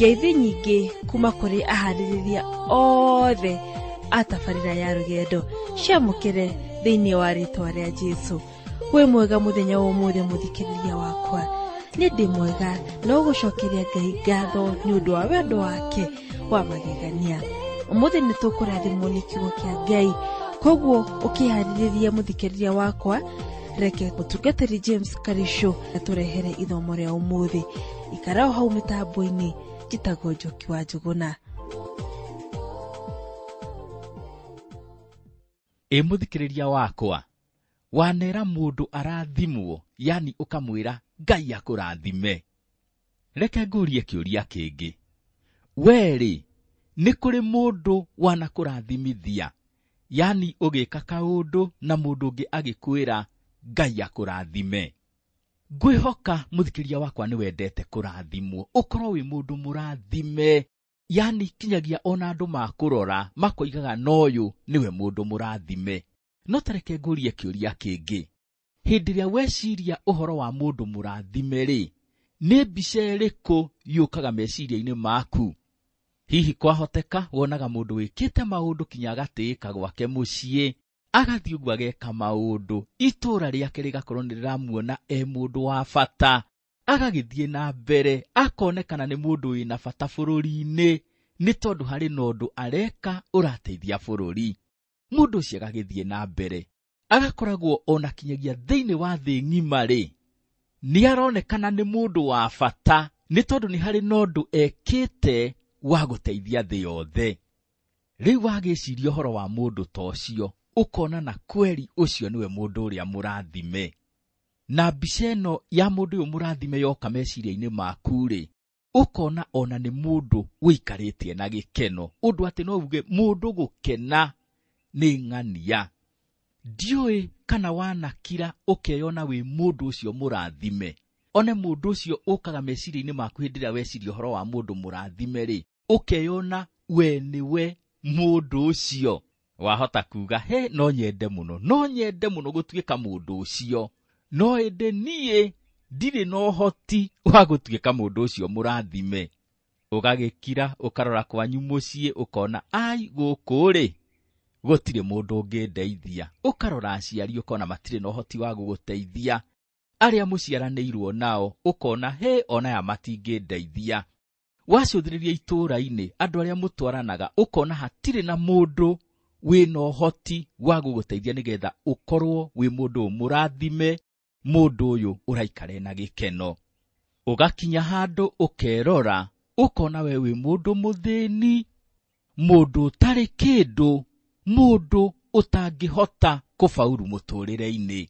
Ngeithi nyingĩ kuma kũrĩ aharĩrĩria othe a tabarĩra ya rũgendo ciamũkĩre thĩinĩ wa rĩtwa rĩa Jesũ. Wĩ mwega mũthenya wa ũmũthĩ mũthikĩrĩria wakwa. Nĩ ndĩ mwega no gũcokeria Ngai ngatho nĩ ũndũ wa wendo wake wa magegania. Ũmũthĩ nĩ tũkũrathimwo nĩ kiugo kĩa Ngai, koguo ũkĩharĩrĩria mũthikĩrĩria wakwa, reke mũtungatĩri James Karisho atũrehere ithomo rĩa ũmũthĩ. Ikara o hau mĩtambo-inĩ, njĩtagwo Njoki wa Njũgũna. Ĩ mũthikĩrĩria wakwa, wanera mũndũ arathimwo, yani ũkamwĩra Ngai akũrathime. Reke ngũrie kĩũria kĩngĩ. We-rĩ, nĩ kũrĩ mũndũ wanakũrathimithia, yani ũgĩka kaũndũ na mũndũ ũngĩ agĩkwĩra Ngai akũrathime. Ngwĩhoka mũthikĩrĩria wakwa nĩ wendete kũrathimwo, ũkorwo wĩ mũndũ mũrathime, yani kinyagia ona andũ makũrora makoigaga na ũyũ nĩwe mũndũ mũrathime. No ta reke ngũrie kĩũria kĩngĩ. Hĩndĩ ĩrĩa weciria ũhoro wa mũndũ mũrathime rĩ, nĩ mbica ĩrĩkũ yũkaga meciria-inĩ maku? Hihi kwahoteka wonaga mũndũ wĩkĩte maũndũ kinya agatĩĩka gwake mũciĩ, agathiĩ ũguo ageka maũndũ, itũũra rĩake rĩgakorwo nĩ rĩramuona e mũndũ wa bata, agagĩthiĩ na mbere akonekana nĩ mũndũ wĩna bata bũrũri-inĩ, nĩ tondũ harĩ na ũndũ areka ũrateithia bũrũri. Mũndũ ũcio agagĩthiĩ na mbere, agakoragwo ona kinyagia thĩinĩ wa thĩ ng'ima rĩ, nĩ aronekana nĩ mũndũ wa bata, nĩ tondũ nĩ harĩ na ũndũ ekĩte wa gũteithia thĩ yothe. Rĩu wagĩciria ũhoro wa mũndũ ta ũcio, ũkona na kweri ũcio nĩwe mũndũ ũrĩa mũrathime. Na mbica ĩno ya mũndũ ũyũ mũrathime yoka meciria-inĩ maku rĩ, ũkona ona nĩ mũndũ ũikarĩtie na gĩkeno, ũndũ atĩ no uge mũndũ gũkena nĩ ng'ania. Ndiũĩ kana wanakira ũkeyona wĩ mũndũ ũcio mũrathime. One mũndũ ũcio ũkaga meciria-inĩ maku hĩndĩ ĩrĩa weciria ũhoro wa mũndũ mũrathime rĩ, ũkeyona we nĩwe mũndũ ũcio. Wahota kuga, he, no nyende mũno, no nyende mũno gũtuĩka mũndũ ũcio, no ĩndĩ niĩ ndirĩ na ũhoti wa gũtuĩka mũndũ ũcio mũrathime. Ũgagĩkira, ũkarora kwanyu mũciĩ, ũkona ai gũkũ rĩ, gũtirĩ mũndũ ũngĩndeithia. Ũkarora aciari ũkona matirĩ na ũhoti wa gũgũteithia. Arĩa mũciaranĩirwo nao ũkona he ona aya matingĩndeithia. Wacũthĩrĩria itũũra-inĩ andũ arĩa mũtwaranaga ũkona hatirĩ na mũndũ wĩna ũhoti wa gũgũteithia nĩgetha ũkorwo wĩ mũndũ mũrathime, mũndũ ũyũ ũraikara na gĩkeno. Ũgakinya handũ ũkerora ũkona we wĩ mũndũ mũthĩni, mũndũ ũtarĩ kĩndũ, mũndũ ũtangĩhota kũbauru mũtũrĩre-inĩ.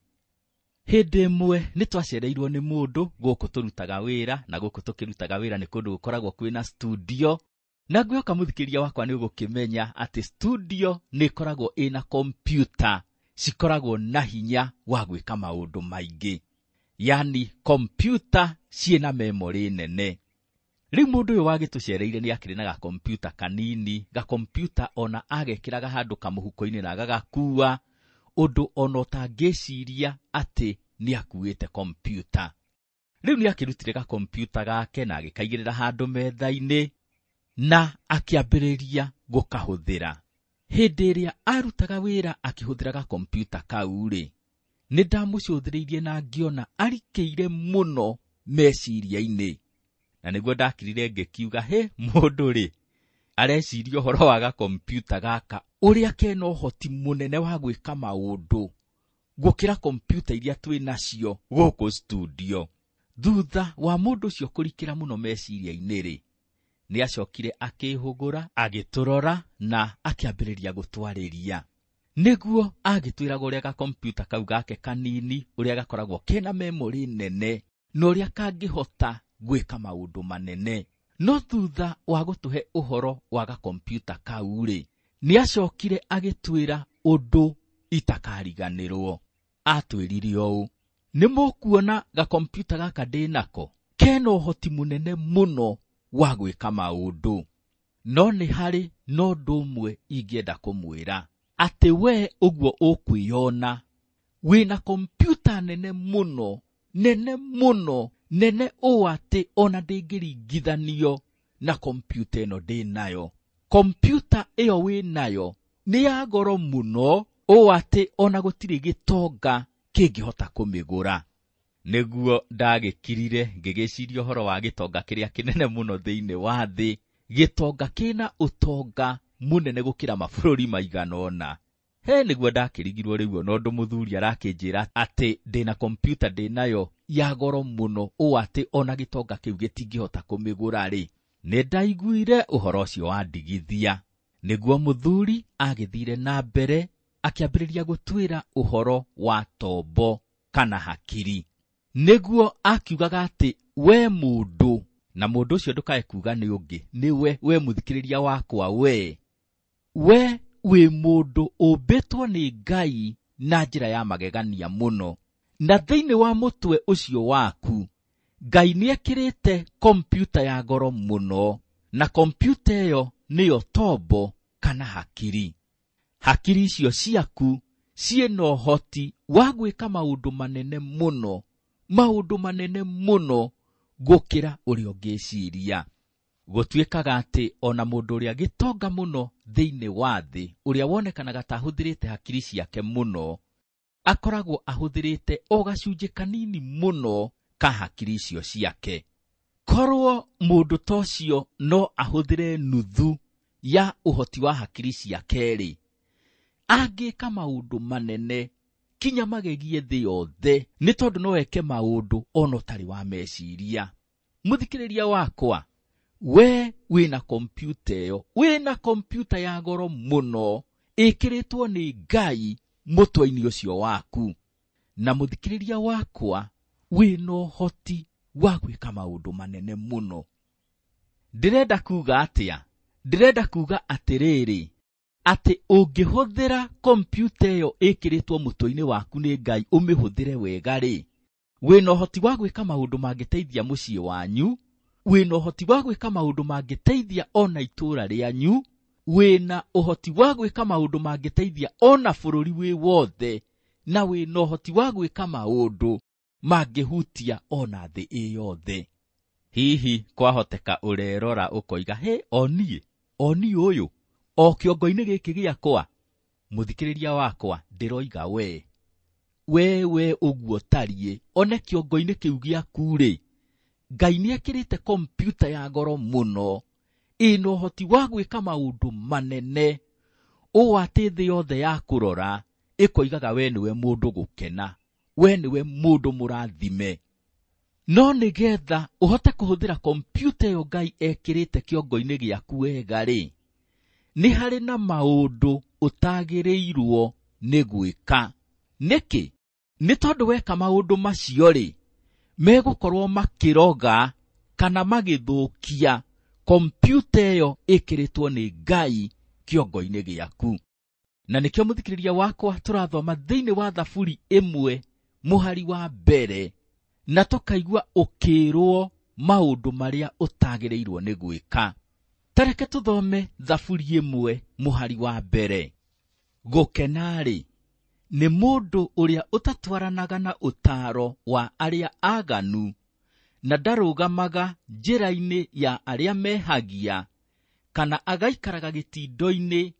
Hĩndĩ ĩmwe nĩ twacereirwo nĩ mũndũ gũkũ tũrutaga wĩra, na gũkũ tũkĩrutaga wĩra nĩ kũndũ gũkoragwo kwĩna studio. Na ngwĩhoka mũthikĩrĩria wakwa nĩ ũgũkĩmenya atĩ studio nĩ ĩkoragwo ĩna kompyuta cikoragwo na hinya wa gwĩka maũndũ maingĩ, yani kompyuta ciĩna memory nene. Rĩu mũndũ ũyũ wagĩtũcereire nĩ akĩrĩ na gakompyuta kanini, gakompyuta ona agekĩraga handũ kamũhuko-inĩ na agagakua, ũndũ ona ũtangĩciria atĩ nĩ akuĩte kompyuta. Rĩu nĩ akĩrutire gakompyuta gake na agĩkaigĩrĩra handũ metha-inĩ na akĩambĩrĩria gũkahũthĩra. Hĩndĩ ĩrĩa arutaga wĩra akĩhũthĩra gakompyuta kau rĩ, nĩ ndamũcũthĩrĩirie na ngĩona arikĩire mũno meciria-inĩ. Na nĩguo ndakirire ngĩkiuga, he mũndũ rĩ, areciria ũhoro wa gakompyuta gaka ũrĩa kena ũhoti mũnene wa gwĩka maũndũ gũkĩra kompyuta iria twĩ nacio gũkũ studio. Thutha wa mũndũ ũcio kũrikĩra mũno meciria-inĩ rĩ, nĩ acokire akĩhũgũra, agĩtũrora na akĩambĩrĩria gũtwarĩria. Nĩguo agĩtwĩraga ũrĩa gakompyuta kau gake kanini, ũrĩa gakoragwo kena memory nene na ũrĩa kangĩhota gwĩka maũndũ manene. No thutha wa gũtũhe ũhoro wa gakompyuta kau rĩ, nĩ acokire agĩtwĩra ũndũ itakariganĩrwo. Atwĩrire ũũ, nĩ mũkuona gakompyuta gaka ndĩ nako kena ũhoti mũnene mũno wa gwĩka maũndũ, no nĩ harĩ na ũndũ ũmwe ingĩenda kũmwĩra, atĩ we ũguo ũkwĩyona wĩna kompyuta nene mũno, nene mũno, nene ũũ atĩ ona ndĩngĩringithanio na kompiuta ĩno ndĩ nayo. Kompiuta ĩyo wĩ nayo nĩ ya goro mũno ũũ atĩ ona gũtirĩ gĩtonga kĩngĩhota kũmĩgũra. Nĩguo ndagĩkirire ngĩgĩciria ũhoro wa gĩtonga kĩrĩa kĩnene mũno thĩinĩ wa thĩ, gĩtonga kĩna ũtonga mũnene gũkĩra mabũrũri maigana ũna. He nĩguo ndakĩrigirwo rĩu ona ũndũ mũthuri arakĩnjĩra atĩ ndĩna kompiuta ndĩnayo ya goro mũno ũũ atĩ ona gĩtonga kĩu gĩtingĩhota kũmĩgũra rĩ. Nĩ ndaiguire ũhoro ũcio wandigithia. Nĩguo mũthuri agĩthire na mbere akĩambĩrĩria gũtwĩra ũhoro wa tombo kana hakiri. Nĩguo akiugaga atĩ we mũndũ, na mũndũ ũcio ndũkae kuga nĩ ũngĩ, nĩwe we mũthikĩrĩria wakwa, we wĩ mũndũ ũmbĩtwo nĩ Ngai na njĩra ya magegania mũno. Na thĩinĩ wa mũtwe ũcio waku Ngai nĩekĩrĩte kompiuta ya goro mũno, na kompiuta ĩyo nĩyo tombo kana hakiri. Hakiri icio ciaku ciĩna ũhoti wa gwĩka maũndũ manene mũno, maũndũ manene mũno gũkĩra ũrĩa ũngĩciria. Gũtuĩkaga atĩ ona mũndũ ũrĩa gĩtonga mũno thĩinĩ wa thĩ, ũrĩa wonekanaga ta ahũthĩrĩte hakiri ciake mũno, akoragwo ahũthĩrĩte o gacunjĩ kanini mũno ka hakiri icio ciake. Korwo mũndũ ta ũcio no ahũthĩre nuthu ya ũhoti wa hakiri ciake rĩ, angĩka maũndũ manene kinya magegie thĩ yothe, nĩ tondũ no eke maũndũ ona ũtarĩ wa meciria. Mũthikĩrĩria wakwa, we wĩna kompiuta ĩyo, wĩna kompiuta ya goro mũno ĩkĩrĩtwo nĩ Ngai mũtwe-inĩ ũcio waku. Na mũthikĩrĩria wakwa, wĩna ũhoti wa gwĩka maũndũ manene mũno. Ndĩrenda kuga atĩa? Ndĩrenda kuga atĩrĩrĩ, atĩ ũngĩhũthĩra kompiuta ĩyo ĩkĩrĩtwo mũtwe-inĩ waku nĩ Ngai ũmĩhũthĩre wega rĩ, wĩna ũhoti wa gwĩka maũndũ mangĩteithia mũciĩ wanyu, wĩna ũhoti wa gwĩka maũndũ mangĩteithia ona itũũra rĩanyu, wĩna ũhoti wa gwĩka maũndũ mangĩteithia ona bũrũri wĩ wothe, na wĩna ũhoti wa gwĩka maũndũ mangĩhutia ona thĩ ĩ yothe. Hihi kwahoteka ũrerora ũkoiga, he oniĩ, oniĩ ũyũ, o kĩongo-inĩ gĩkĩ gĩakwa. Mũthikĩrĩria wakwa, ndĩroiga we. We ũguo tariĩ, one kĩongo-inĩ kĩu gĩaku rĩ, Ngai nĩekĩrĩte kompiuta ya goro mũno ĩna ũhoti wa gwĩka maũndũ manene ũũ atĩ thĩ yothe ya kũrora ĩkoigaga we nĩwe mũndũ gũkena, we nĩwe mũndũ mũrathime. No nĩgetha ũhote kũhũthĩra kompiuta ĩyo Ngai ekĩrĩte kĩongo-inĩ gĩaku wega rĩ, nĩ harĩ na maũndũ ũtagĩrĩirwo nĩ gwĩka. Nĩkĩ? Nĩ tondũ weka maũndũ macio rĩ, megũkorwo makĩroga kana magĩthũkia kompiuta ĩyo ĩkĩrĩtwo nĩ Ngai kĩongo-inĩ gĩaku. Na nĩkĩo mũthikĩrĩria wakwa tũrathoma thĩinĩ wa Thaburi 1 mũhari wa mbere, na tũkaigua ũkĩrwo maũndũ marĩa ũtagĩrĩirwo nĩ gwĩka. Tareke tũthome Thaburi 1 mũhari wa mbere. Gũkena-rĩ, nĩ mũndũ ũrĩa ũtatwaranaga na ũtaaro wa arĩa aganu, na ndarũgamaga njĩra-inĩ ya arĩa mehagia, kana agaikaraga gĩtindo-inĩ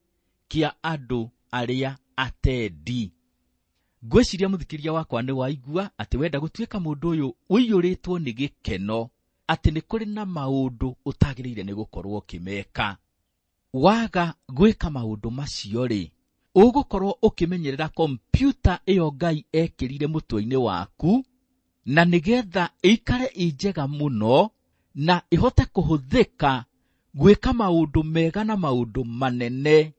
kĩa andũ arĩa atendi. Ngwĩciria mũthikĩrĩria wakwa nĩ waigua atĩ wenda gũtuĩka mũndũ ũyũ ũiyũrĩtwo nĩ gĩkeno, atĩ nĩ kũrĩ na maũndũ ũtagĩrĩire nĩ gũkorwo ũkĩmeka. Waga gwĩka maũndũ macio rĩ, ũgũkorwo ũkĩmenyerera kompiuta ĩyo Ngai ekĩrire mũtwe-inĩ waku, na nĩgetha ĩikare ĩ njega mũno na ĩhote kũhũthĩka gwĩka maũndũ mega na maũndũ manene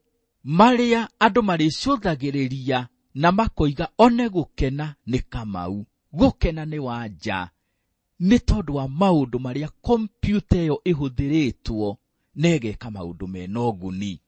marĩa andũ marĩcũthagĩrĩria na makoiga one gũkena nĩ Kamau, gũkena nĩ Wanja, nĩ tondũ wa maũndũ marĩa kompiuta ĩyo ĩhũthĩrĩtwo na ĩgeka maũndũ mena ũguni.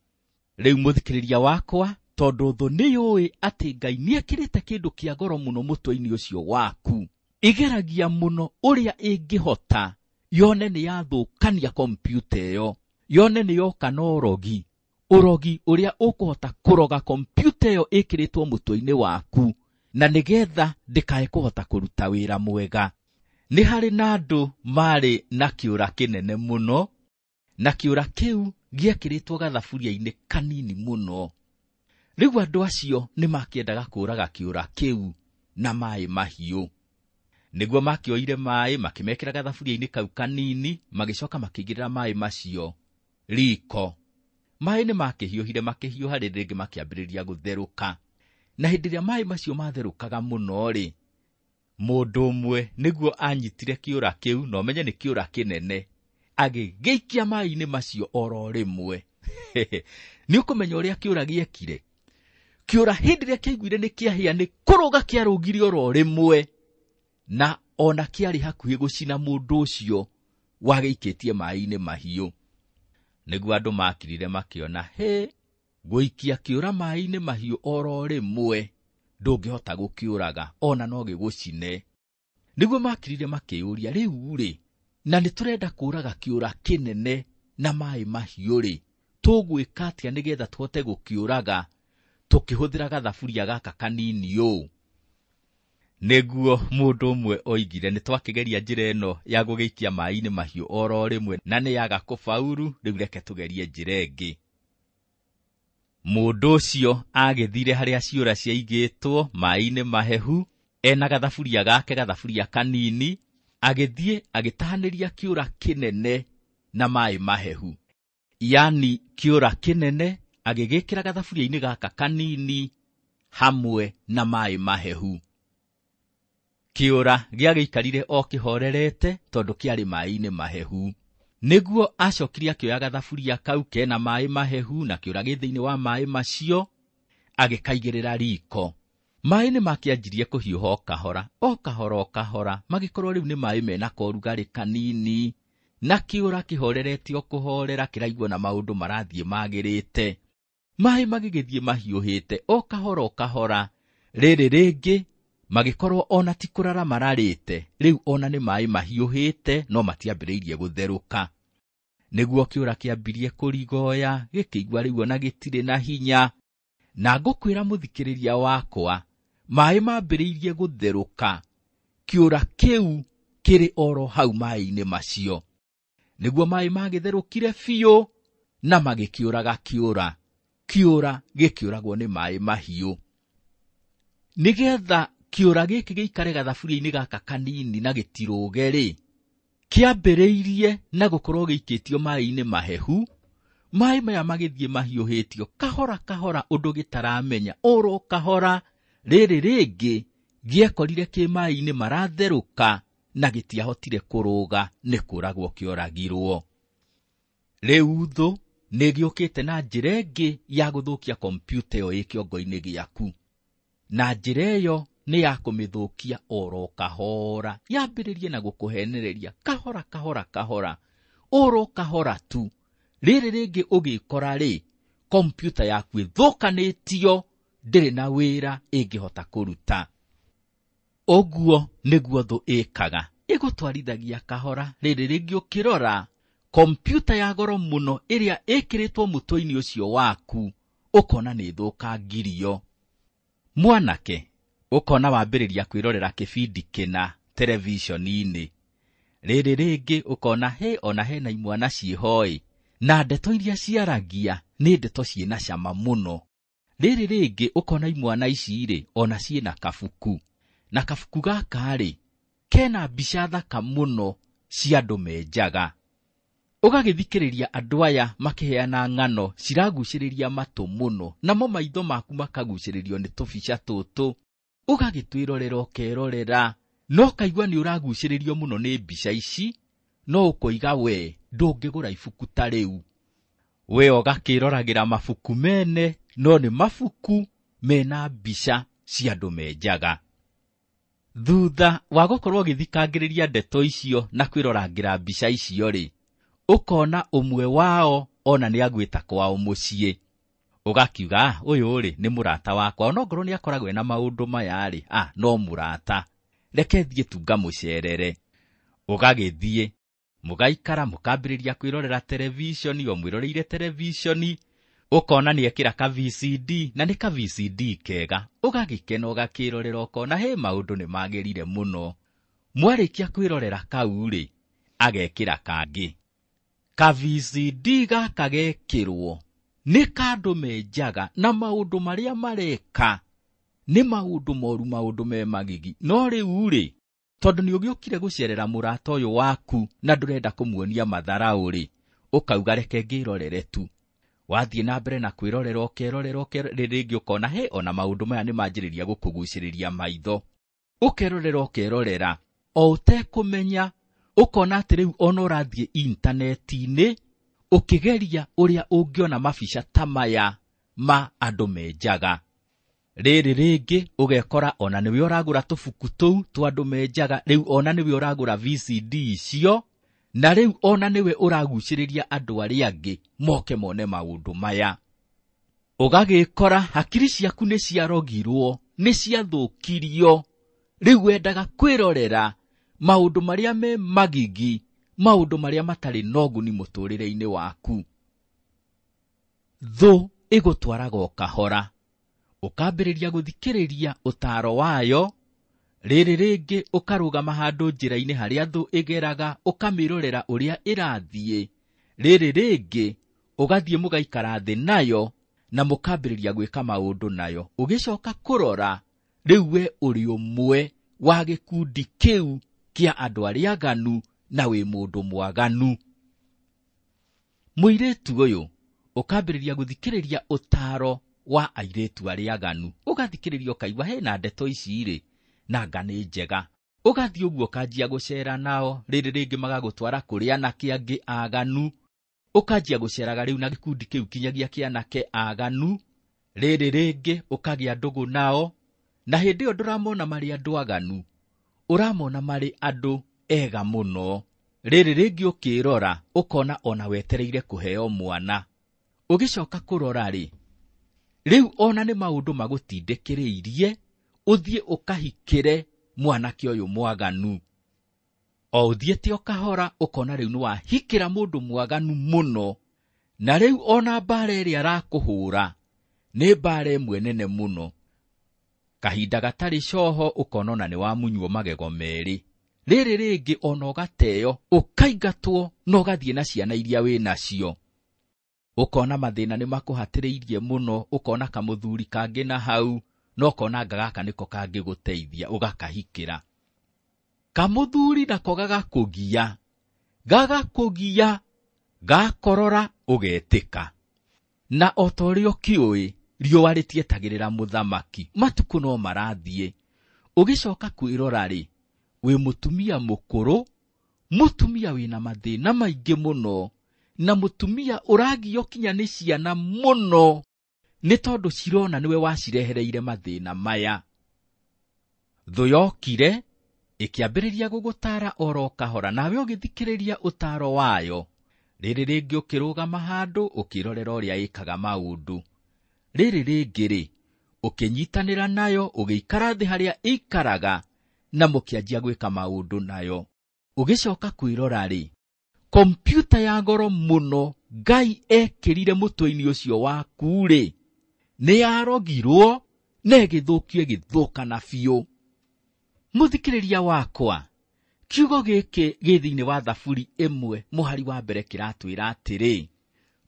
Rĩu mũthikĩrĩria wakwa, tondũ thũ nĩyũĩ atĩ Ngai nĩekĩrĩte kĩndũ kĩa goro mũno mũtwe-inĩ ũcio waku, ĩgeragia mũno ũrĩa ĩngĩhota yone nĩ yathũkania kompiuta ĩyo, yone nĩ yoka na ũrogi, ũrogi ũrĩa ũkũhota kũroga kompiuta ĩyo ĩkĩrĩtwo mũtwe-inĩ waku, na nĩgetha ndĩkae kũhota kũruta wĩra mwega. Nĩ harĩ na andũ marĩ na kĩũra kĩnene mũno, Na kĩũra kĩu gĩekĩrĩtwo gathaburia-inĩ kanini mũno. Rĩu andũ acio nĩ makĩendaga kũũraga kĩũra kĩu na maĩ mahiũ. Nĩguo makĩoire maĩ makĩmekĩra gathaburia-inĩ kau kanini, magĩcoka makĩigĩrĩra maĩ macio riko. Maĩ nĩ makĩhiũhire makĩhiũha, rĩrĩ rĩngĩ makĩambĩrĩria gũtherũka. Na hĩndĩ ĩrĩa maĩ macio matherũkaga mũno-rĩ, mũndũ ũmwe nĩguo anyitire kĩũra kĩu, na ũmenye nĩ kĩũra kĩnene, agĩgĩikia maĩ-inĩ macio oro rĩmwe. Nĩ ũkũmenya ũrĩa kĩũra gĩekire. Kĩũra hĩndĩ ĩrĩa kĩaiguire nĩ kĩahĩa nĩ kũrũga kĩarũgire oro rĩmwe, na ona kĩarĩ hakuhĩ gũcina mũndũ ũcio wagĩikĩtie maĩ-inĩ mahiũ. Nĩguo andũ makirire makĩona, hĩ, gũikia kĩũra maĩ-inĩ mahiũ oro rĩmwe ndũngĩhota gũkĩũraga, ona no gĩgũcine. Nĩguo makirire makĩyũria, rĩu rĩ, na nĩ tũrenda kũũraga kĩũra kĩnene na maĩ mahiũ rĩ, tũgwĩka atĩa nĩgetha tũhote gũkĩũraga tũkĩhũthĩra gathaburia gaka kanini ũũ? Nĩguo mũndũ ũmwe oigire, nĩ twakĩgeria njĩra ĩno ya gũgĩikia maĩ-inĩ mahiũ oro rĩmwe na nĩ yaga kũbauru, rĩu reke tũgerie njĩra ĩngĩ. Mũndũ ũcio agĩthire harĩa ciũra ciaigĩtwo maĩ-inĩ mahehu, ena gathaburia gake, gathaburia kanini, agĩthiĩ agĩtahanĩria kĩũra kĩnene na maĩ mahehu. Yani kĩũra kĩnene agĩgĩkĩra gathaburia-inĩ gaka kanini hamwe na maĩ mahehu. Kĩũra gĩagĩikarire o kĩhorerete tondũ kĩarĩ maĩ-inĩ mahehu. Nĩguo acokire akĩoya gathaburia kau kena maĩ mahehu na kĩũra gĩ thĩinĩ wa maĩ macio, agĩkaigĩrĩra riko. Maĩ nĩ makĩanjirie kũhiũha o kahora, o kahora o kahora, magĩkorwo rĩu nĩ maĩ mena korugarĩ kanini, na kĩũra kĩhorerete o kũhorera kĩraigua na maũndũ marathiĩ magĩrĩte. Maĩ magĩgĩthiĩ mahiũhĩte o kahora o kahora, rĩrĩ rĩngĩ magĩkorwo ona ti kũrara mararĩte, rĩu ona nĩ maĩ mahiũhĩte no matiambĩrĩirie gũtherũka. Nĩguo kĩũra kĩambirie kũrigoya, gĩkĩigua rĩu ona gĩtirĩ na hinya. Na ngũkwĩra mũthikĩrĩria wakwa, maĩ mambĩrĩirie gũtherũka, kĩũra kĩu kĩrĩ oro hau maĩ-inĩ macio. Nĩguo maĩ magĩtherũkire biũ na magĩkĩũraga kĩũra. Kĩũra gĩkĩũragwo nĩ maĩ mahiũ. Nĩgetha kĩũra gĩkĩ gĩikare gathaburia-inĩ gaka kanini na gĩtirũge rĩ, kĩambĩrĩirie na gũkorwo gĩikĩtio maĩ-inĩ mahehu. Maĩ maya magĩthiĩ mahiũhĩtio kahora kahora ũndũ gĩtaramenya, oro kahora. Rĩrĩ rĩngĩ gĩekorire kĩ maĩ-inĩ maratherũka na gĩtiahotire kũrũga, nĩ kũragwo kĩoragirwo. Rĩu thũ nĩ gĩũkĩte na njĩra ĩngĩ ya gũthũkia kompiuta ĩyo ĩ kĩongo-inĩ gĩaku, na njĩra ĩyo nĩ ya kũmĩthũkia oro kahora. Yambĩrĩrie na gũkũhenereria kahora kahora kahora, oro kahora tu. Rĩrĩ rĩngĩ ũgĩkora rĩ, kompiuta yaku ĩthũkanĩtio, ndĩrĩ na wĩra ĩngĩhota kũruta. Ũguo nĩguo thũ ĩkaga, ĩgũtwarithagia kahora. Rĩrĩ rĩngĩ ũkĩrora kompiuta ya goro mũno ĩrĩa ĩkĩrĩtwo mũtwe-inĩ ũcio waku, ũkona nĩ ĩthũkangirio. Mwanake, ũkona wambĩrĩria kwĩrorera kĩbindi kĩna televishoni-inĩ. Rĩrĩ rĩngĩ ũkona hĩ, ona hena imwana ciĩhoĩ, na ndeto iria ciaragia nĩ ndeto ciĩna cama mũno. Rĩrĩ rĩngĩ ũkona imwana ici rĩ, ona ciĩna kabuku, na kabuku gaka rĩ, kena mbica thaka mũno cia andũ menjaga. Ũgagĩthikĩrĩria andũ aya makĩheana ng'ano ciragucĩrĩria matũ mũno, namo maitho maku makagucĩrĩrio nĩ tũbica tũtũ. Ũgagĩtwĩrorera ũkerorera, no kaigua nĩ ũragucĩrĩrio mũno nĩ mbica ici, no ũkoiga we ndũngĩgũra ibuku ta rĩu. We ũgakĩroragĩra mabuku mene, no nĩ mabuku mena mbica cia andũ menjaga. Thutha wa gũkorwo ũgĩthikangĩrĩria ndeto icio na kwĩrorangĩra mbica icio rĩ, ũkona ũmwe wao ona nĩ agwĩta kwao mũciĩ. Ũgakiuga, ũyũ rĩ nĩ mũrata wakwa, onongorwo nĩ akoragwo ena maũndũ maya rĩ, no mũrata, reke thiĩ tu ngamũcerere. Ũgagĩthiĩ, mũgaikara mũkambĩrĩria kwĩrorera televishoni, o mwĩroreire televishoni, ũkona nĩ ekĩra ka VCD, na nĩ ka VCD kega. Ũgagĩkena ũgakĩrorera ũkona hĩ, maũndũ nĩ magĩrire mũno. Mwarĩkia kwĩrorera kau rĩ, agekĩra kangĩ. Ka VCD gaka gekĩrwo nĩ kandũ menjaga na maũndũ marĩa mareka nĩ maũndũ moru, maũndũ me magigi. No rĩu rĩ, tondũ nĩ ũgĩũkire gũcerera mũrata ũyũ waku na ndũrenda kũmuonia matharaũ rĩ, ũkauga reke ngĩrorere tu. Wathiĩ na mbere na kwĩrorera ũkerorera ũkerorera, rĩngĩ ũkona he ona maũndũ maya nĩ manjĩrĩria gũkũgucĩrĩria maitho. Ũkerorera ũkerorera o ũtekũmenya, ũkona atĩ rĩu ona ũrathiĩ intaneti-inĩ ũkĩgeria ũrĩa ũngĩona mabica ta maya ma andũ menjaga. Rĩrĩ rĩngĩ ũgekora ona nĩwe ũragũra tũbuku tũu twa andũ menjaga, rĩu ona nĩwe ũragũra VCD icio, na rĩu ona nĩwe ũragucĩrĩria andũ arĩa angĩ moke mone maũndũ maya. Ũgagĩkora hakiri ciaku nĩ ciarogirwo, nĩ ciathũkirio, rĩu wendaga kwĩrorera maũndũ marĩa me magigi, maũndũ marĩa matarĩ na ũguni mũtũrĩre-inĩ waku. Thũ ĩgũtwaraga o kahora, ũkambĩrĩria gũthikĩrĩria ũtaaro wayo. Rĩrĩ rĩngĩ ũkarũgama handũ njĩra-inĩ harĩa thũ ĩgeraga, ũkamĩrorera ũrĩa ĩrathiĩ. Rĩrĩ rĩngĩ ũgathiĩ mũgaikara thĩ nayo na mũkambĩrĩria gwĩka maũndũ nayo. Ũgĩcoka kũrora rĩu we ũrĩ ũmwe wa gĩkundi kĩu kĩa andũ arĩa aganu na wĩ mũndũ mwaganu. Mũirĩtu ũyũ ũkambĩrĩria gũthikĩrĩria ũtaaro wa airĩtu arĩa aganu, ũgathikĩrĩria ũkaigua hena ndeto ici rĩ, na nga nĩ njega. Ũgathiĩ ũguo ũkanjia gũcera nao, rĩrĩ rĩngĩ magagũtwara kũrĩ anake angĩ aganu, ũkanjia gũceraga rĩu na gĩkundi kĩu kinyagia kĩa anake aganu. Rĩrĩ rĩngĩ ũkagĩa ndũgũ nao, na hĩndĩ ĩyo ndũramona marĩ andũ aganu, ũramona marĩ andũ ega mũno. Rĩrĩ rĩngĩ ũkĩrora ũkona ona wetereire kũheo mwana. Ũgĩcoka kũrora rĩ, rĩu ona nĩ maũndũ magũtindĩkĩrĩirie ũthiĩ ũkahikĩre mwanake ũyũ mwaganu. O ũthiĩte o kahora ũkona rĩu nĩwahikĩra mũndũ mwaganu mũno, na rĩu ona mbara ĩrĩa arakũhũra nĩ mbara ĩmwe nene mũno. Kahinda gatarĩ coho ũkona ona nĩwamunywo magego merĩ. Rĩrĩ rĩngĩ ona ũgateo, ũkaingatwo na ũgathiĩ na ciana iria wĩ nacio. Ũkona mathĩna nĩ makũhatĩrĩirie mũno, ũkona kamũthuri kangĩ na hau, na ũkona anga gaka nĩko kangĩgũteithia, ũgakahikĩra. Kamũthuri nako gagakũgia, gagakũgia, gakorora ũgetĩka. Na o ta ũrĩa ũkĩũĩ, riũa rĩtietagĩrĩra mũthamaki, matukũ no marathiĩ. Ũgĩcoka kwĩrora rĩ, wĩ mũtumia mũkũrũ, mũtumia wĩna mathĩna maingĩ mũno, na mũtumia ũragio kinya nĩ ciana mũno, nĩ tondũ cirona nĩwe wacirehereire mathĩna maya. Thũ yokire ĩkĩambĩrĩria gũgũtara oro kahora, nawe ũgĩthikĩrĩria ũtaaro wayo. Rĩrĩ rĩngĩ ũkĩrũgama handũ ũkĩrorera ũrĩa ĩkaga maũndũ. Rĩrĩ rĩngĩ rĩ, ũkĩnyitanĩra nayo, ũgĩikara thĩ harĩa ĩikaraga na mũkĩanjia gwĩka maũndũ nayo. Ũgĩcoka kwĩrora rĩ, kompyuta ya goro mũno Ngai ekĩrire mũtwe-inĩ ũcio waku rĩ, nĩ yarogirwo na ĩgĩthũkio ĩgĩthũkana biũ. Mũthikĩrĩria wakwa, kiugo gĩkĩ gĩ thĩinĩ wa Thaburi 1 mũhari wa mbere kĩratwĩra atĩrĩ,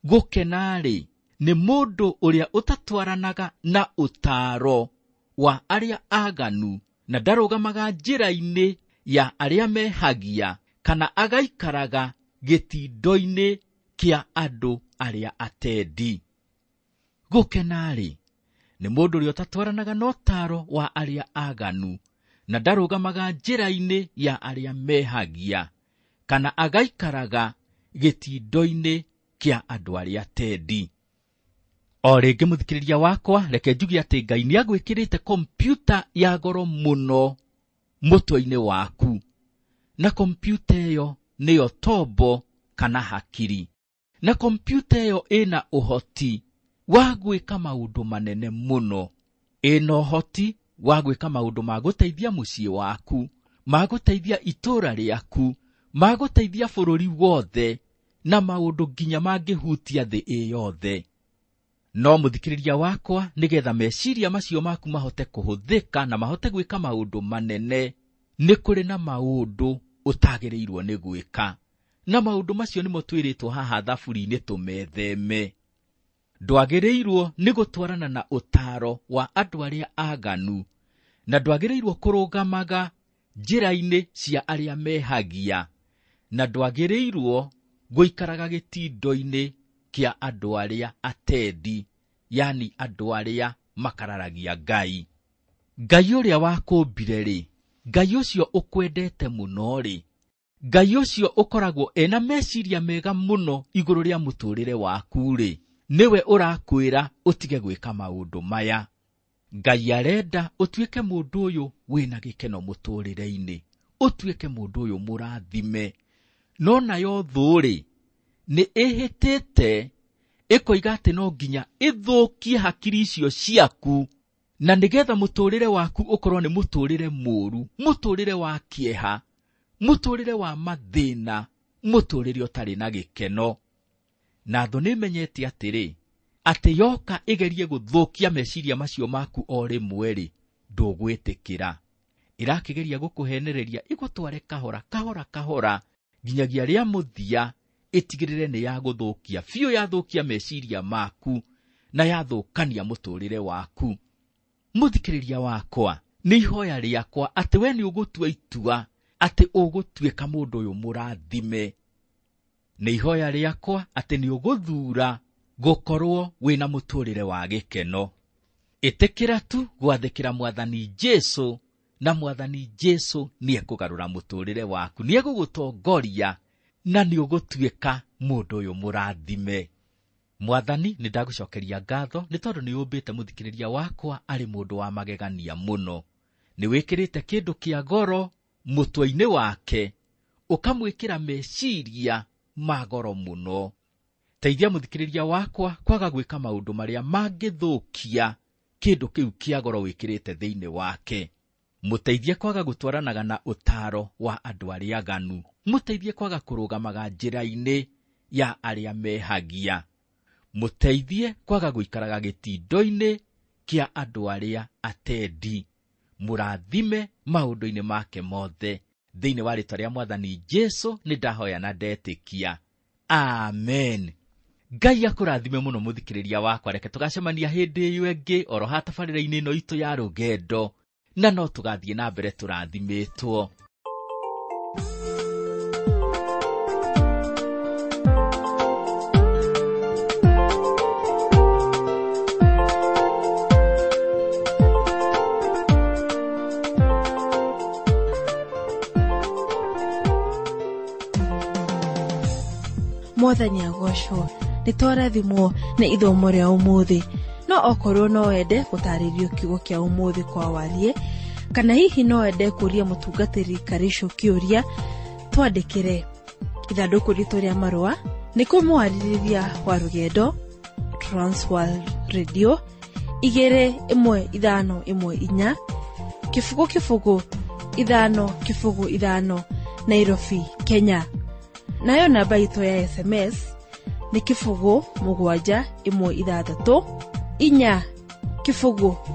gũkena rĩ nĩ mũndũ ũrĩa ũtatwaranaga na ũtaaro wa arĩa aganu, na ndarũgamaga njĩra-inĩ ya arĩa mehagia, kana agaikaraga gĩtindo-inĩ kĩa andũ arĩa atendi. Gũkena rĩ nĩ mũndũ ũrĩa ũtatwaranaga na ũtaaro wa arĩa aganu, na ndarũgamaga njĩra-inĩ ya arĩa mehagia, kana agaikaraga gĩtindo-inĩ kĩa andũ arĩa atendi. O rĩngĩ mũthikĩrĩria wakwa, reke njuge atĩ Ngai nĩagwĩkĩrĩte kompyuta ya goro mũno mũtwe-inĩ waku, na kompyuta ĩyo nĩyo tombo kana hakiri, na kompyuta ĩyo ĩna ũhoti wa gwĩka maũndũ manene mũno. Ĩna ũhoti wa gwĩka maũndũ ma gũteithia mũciĩ waku, ma gũteithia itũũra rĩaku, ma gũteithia bũrũri wothe, na maũndũ nginya mangĩhutia thĩ ĩ yothe. No mũthikĩrĩria wakwa, nĩgetha meciria macio maku mahote kũhũthĩka na mahote gwĩka maũndũ manene, nĩ kũrĩ na maũndũ ũtagĩrĩirwo nĩ gwĩka, Na maũndũ macio nĩmo twĩrĩtwo haha thaburi-inĩ tũmetheme. Ndwagĩrĩirwo nĩ gũtwarana na ũtaaro wa andũ arĩa aganu, na ndwagĩrĩirwo kũrũgamaga njĩra-inĩ cia arĩa mehagia, na ndwagĩrĩirwo gũikaraga gĩtindo-inĩ kĩa andũ arĩa atendi, yani andũ arĩa makararagia Ngai. Ngai ũrĩa wakũmbire rĩ, Ngai ũcio ũkwendete mũno rĩ, Ngai ũcio ũkoragwo ena meciria mega mũno igũrũ rĩa mũtũrĩre waku rĩ, nĩwe ũrakwĩra ũtige gwĩka maũndũ maya. Ngai arenda ũtuĩke mũndũ ũyũ wĩna gĩkeno mũtũrĩre-inĩ, ũtuĩke mũndũ ũyũ mũrathime. No nayo thũ rĩ, nĩ ĩhĩtĩte ĩkoiga atĩ no nginya ĩthũkie hakiri icio ciaku, na nĩgetha mũtũrĩre waku ũkorwo nĩ mũtũrĩre mũũru, mũtũrĩre wa kĩeha, mũtũrĩre wa mathĩna, mũtũrĩre ũtarĩ na gĩkeno. Na thũ nĩmenyete atĩrĩ, atĩ yoka ĩgerie gũthũkia meciria macio maku o rĩmwe rĩ, ndũgwĩtĩkĩra. Ĩrakĩgeria gũkũhenereria ĩgũtware kahora kahora kahora nginyagia rĩa mũthia ĩtigĩrĩre nĩ yagũthũkia biũ, yathũkia meciria maku na yathũkania mũtũrĩre waku. Mũthikĩrĩria wakwa, nĩ ihoya rĩakwa atĩ we nĩ ũgũtua itua atĩ ũgũtuĩka mũndũ ũyũ mũrathime. Nĩ ihoya rĩakwa atĩ nĩ ũgũthura gũkorwo wĩna mũtũrĩre wa gĩkeno. Ĩtĩkĩra tu gwathĩkĩra Mwathani Jesũ, na Mwathani Jesũ nĩekũgarũra mũtũrĩre waku, nĩegũgũtongoria na nĩũgũtuĩka mũndũ ũyũ mũrathime. Mwathani, nĩ ndagũcokeria ngatho nĩ tondũ nĩ ũmbĩte mũthikĩrĩria wakwa arĩ mũndũ wa magegania mũno. Nĩ wĩkĩrĩte kĩndũ kĩa goro mũtwe-inĩ wake, ũkamwĩkĩra meciria ma goro mũno. Teithia mũthikĩrĩria wakwa kwaga gwĩka maũndũ marĩa mangĩthũkia kĩndũ kĩu kĩa goro wĩkĩrĩte thĩinĩ wake. Mũteithie kwaga gũtwaranaga na ũtaaro wa andũ arĩa aganu. Mũteithie kwaga kũrũgamaga njĩra-inĩ ya arĩa mehagia. Mũteithie kwaga gũikaraga gĩtindo-inĩ kĩa andũ arĩa atendi. Mũrathime maũndũ-inĩ make mothe. Thĩinĩ wa rĩtwa rĩa Mwathani Jesũ nĩ ndahoya na ndetĩkia. Amen. Ngai akũrathime mũno mũthikĩrĩria wakwa. Reke tũgacemania hĩndĩ ĩyo ĩngĩ oro ha tabarĩra-inĩ ĩno itũ ya rũgendo, na no tũgathiĩ na mbere tũrathimĩtwo. Mwathani agocwo, nĩ twarathimwo nĩ ithomo rĩa ũmũthĩ. No okorwo no wende gũtarĩrio kiugo kĩa ũmũthĩ kwa warie, kana hihi no wende kũria mũtungatĩri Karĩcu kĩũria, twandĩkĩre ithandũkũ ritũ rĩa marũa nĩ kũmwarĩrĩria wa rũgendo Transworld Radio 21514 0 0 5 0 5 Nairobi, Kenya. Nayo namba itũ ya SMS nĩ 0 7 1 6 4 0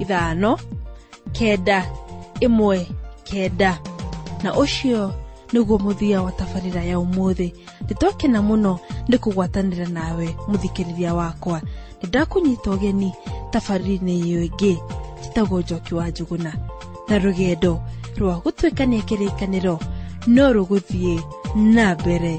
5 9 1 9. Na ũcio nĩguo mũthia wa tabarĩra ya ũmũthĩ. Nĩtwakena mũno nĩ kũgwatanĩra nawe mũthikĩrĩria wakwa. Nĩndakũnyita ũgeni tabarĩra-inĩ ĩyo ĩngĩ. Njĩtagwo Njoki wa Njũgũna, na rũgendo rwa gũtuĩkania kĩrĩkanĩro no rũgũthiĩ na mbere.